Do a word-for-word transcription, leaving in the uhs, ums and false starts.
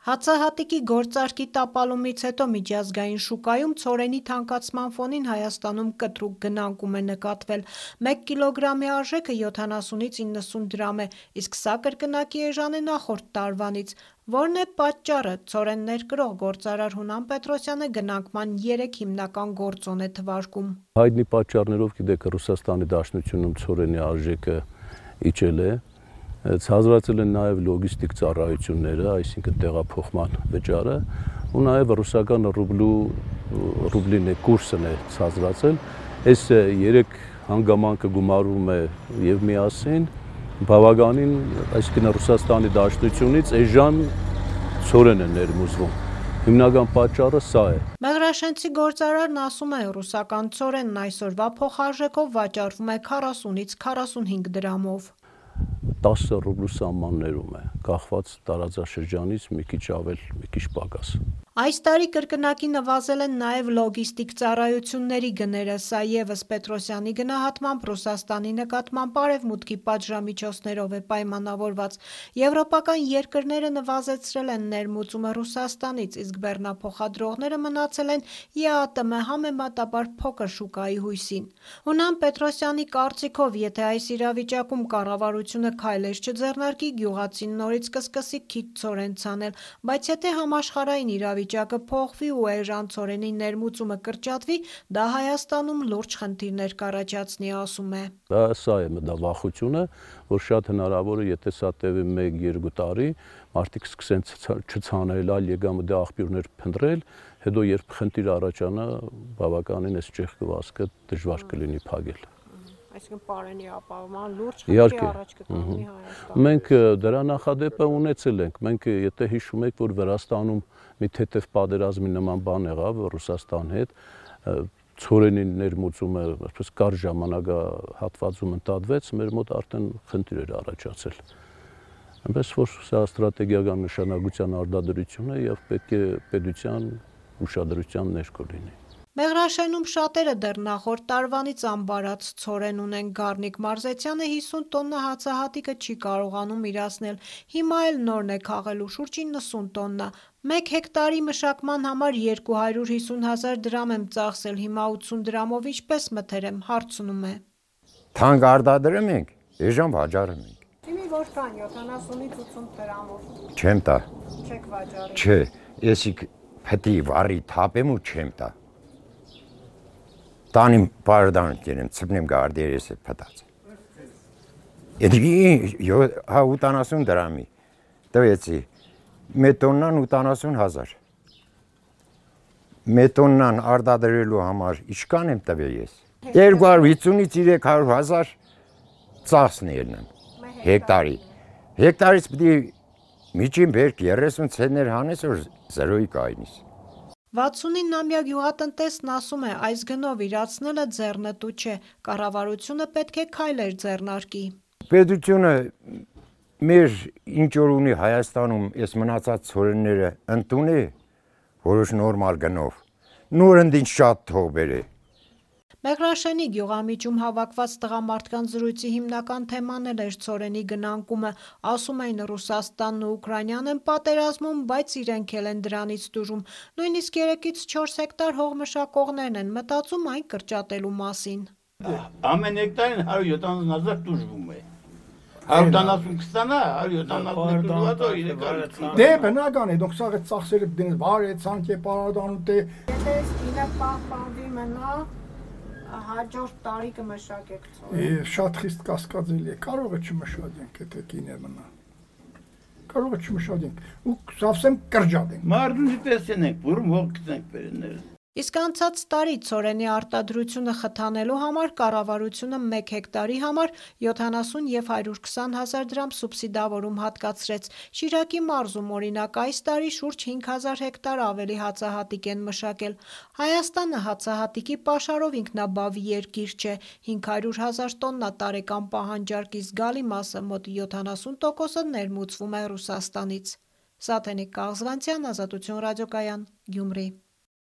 Հացահատիկի գործարքի տապալումից հետո միջազգային շուկայում ցորենի թանկացման ֆոնին Հայաստանում կտրուկ գնանկում է նկատվել։ Մեկ կիլոգրամի արժեքը յոթանասունից իննսուն դրամ է, իսկ սա կրկնակի էժան է նախորդ տարվանից։ Որն է պատճառը։ Ցորեն ներկրող գործարար Հունան Պետրոսյանը գնանկման երեք հիմնական գործոն է թվարկում։ Հայտնի պատճառներով գիտեք Ռուսաստանի Դաշնությունում ցորենի արժեքը իջել է։ Ցածրացել են նաև լոգիստիկ ծառայությունները, այսինքն տեղափոխման վճարը, ու նաև ռուսական ռուբլու ռուբլի կուրսն է ցածրացել։ Այս երեք հանգամանքը գումարվում է եւ միասին բավականին, այսինքն Ռուսաստանի Դաշնությունից էժան ցորեն է ներմուծվում։ Հիմնական պատճառը սա է։ Մեղրաշենցի գործարարն ասում է, ռուսական ցորենն այսօրվա փոխարժեքով վաճառվում է քառասունից քառասունհինգ դրամով։ տասը ռուբլու սահմաններում է, կախված տարածաշրջանից մի քիչ ավել, մի քիչ պակաս։ Այս տարի կրկնակի նվազել են նաև լոգիստիկ ծառայությունների գները, սա ևս Պետրոսյանի գնահատմամբ Ռուսաստանի նկատմամբ արևմուտքի պատժամիջոցներով է պայմանավորված։ Եվրոպական երկրները նվազեցրել են ներմուծումը Ռուսաստանից, իսկ բեռնափոխադրողները մնացել են ԵԱՏՄ համեմատաբար փոքր շուկայի հույսին։ Հունան Պետրոսյանի կարծիքով, եթե այս իրավիճակում կառավարությունը քայլեր չձեռնարկի, գյուղացին նորից կսկսի քիչ ցորեն ցանել, բայց եթե համաշխարհային իրավիճակը փոխվի ու էժան ցորենի ներմուծումը կրճատվի, դա Հայաստանում լուրջ խնդիրներ կառաջացնի, ասում է։ Դա սա է դա վախությունը, որ շատ հնարավոր է, եթե սա տևի մեկ-երկու տարի, մարդիկ սկսեն չցանել, այլ եկամտի աղբյուրներ փնտրել, հետո երբ խնդիր առաջանա, բավականին այս ճեղքվածքը դժվար կլինի փակել։ Այսինքն պարենի ապահովման լուրջ խնդրի առաջ կկանգնի Հայաստանը։ Մենք դրա նախադեպը ունեցել ենք։ Մենք եթե հիշում եք, որ Վրաստանում մի թեթև պատերազմի նման բան եղավ Ռուսաստանի հետ, ցորենի ներմուծումը այսպես կարճ ժամանակահատվածում ընդհատվեց, մեր մոտ արդեն խնդիր էր առաջացել։ Այնպես որ սա ստրատեգիական նշանակության արտադրություն է եւ պետք է պետության ուշադրության ներքո լինի։ Մեղրաշենում շատերը դեռ նախորդ տարվանից ամբարած ցորեն ունեն։ Գառնիկ Մարզեցյանը հիսուն տոննա հացահատիկը չի կարողանում իրացնել, հիմա էլ նորն է քաղելու շուրջ իննսուն տոննա։ Մեկ հեկտարի մշակման համար երկու հարյուր հիսուն հազար դրամ եմ ծախսել, հիմա ութսուն դրամով ինչպես մթերեմ, հարցնում է։ Թանկ արտադրում ենք, էժան վաճառում ենք։ Իմի որքան յոթանասունից ութսուն դրամով։ Չեմ տա։ Չեք վաճառի։ Չէ, եսիք փտի վարի թափեմ ու չեմ տա։ Տանիմ բարդան կերեմ, ծպնեմ գարդերես է պտած։ Եդի հա ութանասուն դրամի, տվեցի, մետոննան ութանասուն հազար։ Մետոննան արտադրելու համար ինչքան եմ տվել ես։ երկու հարյուր հիսունից երեք հարյուր հազար ծախսն ելնեմ հեկտարի։ Հեկտարից պիտի միջին բերք երեսուն ցենտներ հանես, որ զրոյի կայնիս։ վաթսունինամյա գյուղատնտեսն ասում է, այս գնով իրացնելը ձեռնտու չէ, կառավարությունը պետք է քայլեր ձեռնարկի։ Պետությունը մեր ինչ որ ունի Հայաստանում այս մնացած ցորենները ընդունի որոշ նորմալ գնով, նորընդ ինչ շատ թող բերե։ Մեղրաշենի գյուղամիջում հավաքված տղամարդկանց զրույցի հիմնական թեման էլ էր ցորենի գնանկումը, ասում էին Ռուսաստանն ու Ուկրաինան են պատերազմում, բայց իրենք էլ են դրանից տուժում, նույնիսկ երեքից չորս հեկտար հող մշակողներն են մտածում այն կրճատելու մասին։ Ամեն հեկտարին հարյուր յոթանասուն հազար տուժվում է։ հարյուր ութանասուն կստանա, հարյուր յոթանասուն տուժվատո իրական։ Դե բնական է, դուք սա ծախսերը դնես բարե ցանկ է պարադանուտ է։ Եթե գինը պահպանվի մնա հաջորդ տարի կմշակեք ցորեն։ Շատ խիստ կասկածելի է, կարող է չմշակենք, եթե գինը մնա։ Կարող է չմշակենք, ու սավսեմ կրճատենք։ Մարդուն տեսնենք, որում հող գտնենք բերենները։ Իսկ անցած տարի ցորենի արտադրությունը խթանելու համար կառավարությունը մեկ հեկտարի համար յոթանասուն և հարյուր քսան հազար դրամ սուբսիդավորում հատկացրեց։ Շիրակի մարզում օրինակ այս տարի շուրջ հինգ հազար հեկտար ավելի հացահատիկ են մշակել։ Հայաստանը հացահատիկի պաշարով ինքնաբավ երկիր չէ, հինգ հարյուր հազար տոննա տարեկան պահանջարկի զգալի մասը մոտ յոթանասուն տոկոսը ներմուծվում է Ռուսաստանից։ Սաթենիկ Կաղզվանցյան, Ազատություն ռադիոկայան, Գյումրի։